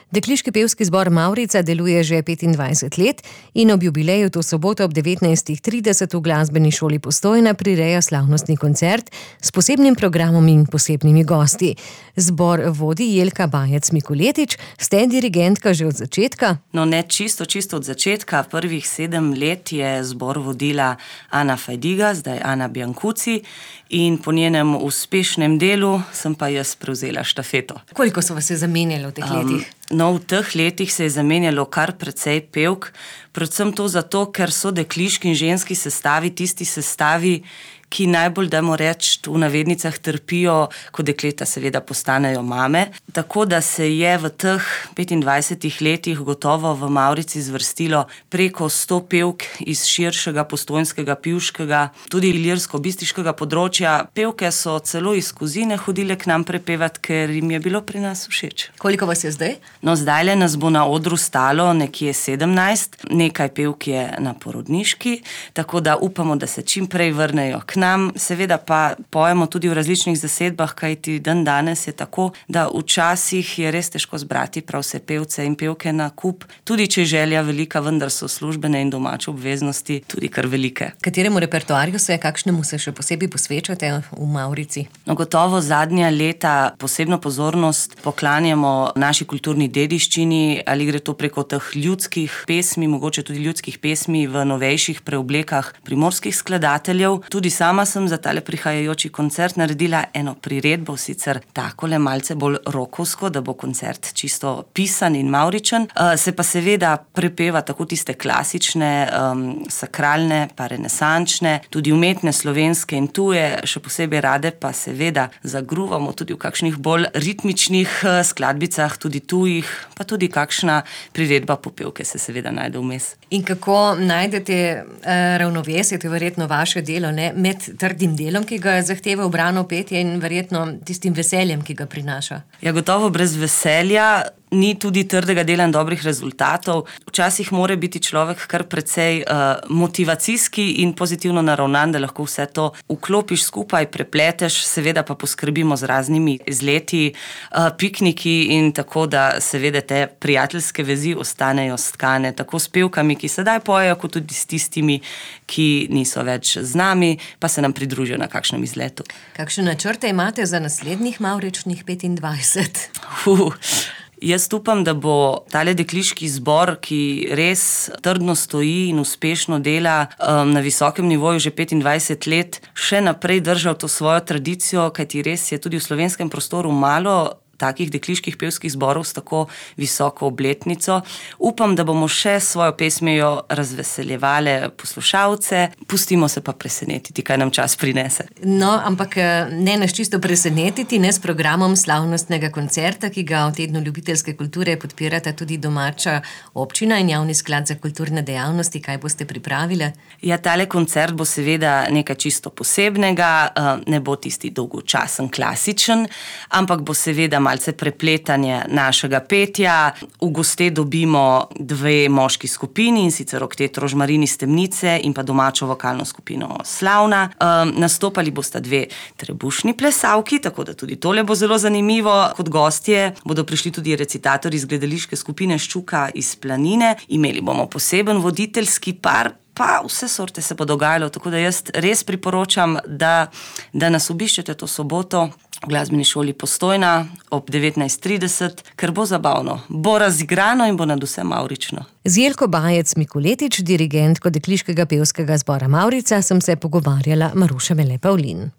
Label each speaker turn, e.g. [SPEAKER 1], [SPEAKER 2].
[SPEAKER 1] Dekliški pevski zbor Mavrica deluje že 25 let in ob jubileju to soboto ob 19:30 v Glasbeni šoli Postojna prireja slavnostni koncert s posebnim programom in posebnimi gosti. Zbor vodi Jelka Bajec-Mikuletič, ste dirigentka že od začetka?
[SPEAKER 2] No, ne čisto od začetka. Prvih 7 let je zbor vodila Ana Fajdiga, zdaj Ana Biancucci, in po njenem uspešnem delu sem pa jaz prevzela štafeto.
[SPEAKER 1] Koliko so vas se zamenjali v teh letih?
[SPEAKER 2] No, v teh letih se je zamenjalo kar precej pevk, predvsem to zato, ker so dekliški in ženski sestavi tisti sestavi, ki najbolj, dajmo reči, v navednicah trpijo, ko dekleta seveda postanejo mame. Tako da se je v teh 25 letih gotovo v Mavrici zvrstilo preko 100 pevk iz širšega postojnskega, pivškega, tudi ilirsko-bistriškega področja. Pevke so celo iz Kozine hodile k nam prepevati, ker jim je bilo pri nas všeč.
[SPEAKER 1] Koliko vas je zdaj?
[SPEAKER 2] No, zdajle nas bo na odru stalo nekje 17, nekaj pevk je na porodniški, tako da upamo, da se čim prej vrnejo k nam. Seveda pa pojemo tudi v različnih zasedbah, kajti dan danes je tako, da včasih je res težko zbrati prav vse pevce in pevke na kup. Tudi če je želja velika, vendar so službene in domače obveznosti tudi kar velike.
[SPEAKER 1] Kateremu repertoarju kakšnemu se še posebej posvečate v Mavrici?
[SPEAKER 2] No, gotovo zadnja leta posebno pozornost poklanjamo naši kulturni dediščini, ali gre to preko teh ljudskih pesmi, mogoče tudi ljudskih pesmi v novejših preoblekah primorskih skladateljev. Tudi sama sem za tale prihajajoči koncert naredila eno priredbo, sicer takole malce bolj rokovsko, da bo koncert čisto pisan in mavričen. Se pa seveda prepeva tako tiste klasične, sakralne, pa renesančne, tudi umetne slovenske in tuje, še posebej rade pa seveda zagruvamo tudi v kakšnih bolj ritmičnih skladbicah, tudi tujih, pa tudi kakšna priredba popevke se seveda najde vmes.
[SPEAKER 1] In kako najdete ravnovesje, to je verjetno vaše delo, ne? Med trdim delom, ki ga zahteva ubrano petje, in verjetno tistim veseljem, ki ga prinaša?
[SPEAKER 2] Ja, gotovo brez veselja ni tudi trdega dela in dobrih rezultatov. Včasih mora biti človek kar precej motivacijski in pozitivno naravnan, da lahko vse to vklopiš skupaj, prepleteš, seveda pa poskrbimo z raznimi izleti, pikniki in tako, da seveda te prijateljske vezi ostanejo stkane, tako s pevkami, ki sedaj pojejo, kot tudi s tistimi, ki niso več z nami, pa se nam pridružijo na kakšnem izletu.
[SPEAKER 1] Kakšne načrte imate za naslednjih mavričnih 25?
[SPEAKER 2] Jaz upam, da bo tale dekliški zbor, ki res trdno stoji in uspešno dela na visokem nivoju že 25 let, še naprej držal to svojo tradicijo, kajti res je tudi v slovenskem prostoru malo takih dekliških pevskih zborov s tako visoko obletnico. Upam, da bomo še s svojo pesmijo razveseljevale poslušalce, pustimo se pa presenetiti, kaj nam čas prinese.
[SPEAKER 1] No, ampak ne nas čisto presenetiti, ne s programom slavnostnega koncerta, ki ga v Tednu ljubiteljske kulture podpirata tudi domača občina in Javni sklad za kulturne dejavnosti. Kaj boste pripravile? Ja, tale koncert bo seveda nekaj čisto posebnega, ne bo tisti dolgočasen, klasičen, ampak bo seveda malce prepletanje našega petja. V goste dobimo 2 moški skupini, in sicer oktet Rožmarin iz Temnice in pa domačo vokalno skupino Slavna. Nastopali bosta 2 trebušni plesalki, tako da tudi tole bo zelo zanimivo. Kot gostje bodo prišli tudi recitatorji iz gledališke skupine Ščuka iz Planine. Imeli bomo poseben voditeljski par, pa vse sorte se bo dogajalo, tako da jaz res priporočam, da nas obiščete to soboto v Glasbeni šoli Postojna ob 19:30, ker bo zabavno, bo razigrano in bo nadvse mavrično. Z Jelko Bajec-Mikuletič, dirigentko dekliškega pevskega zbora Mavrica, sem se pogovarjala Maruša Mele Pavlin.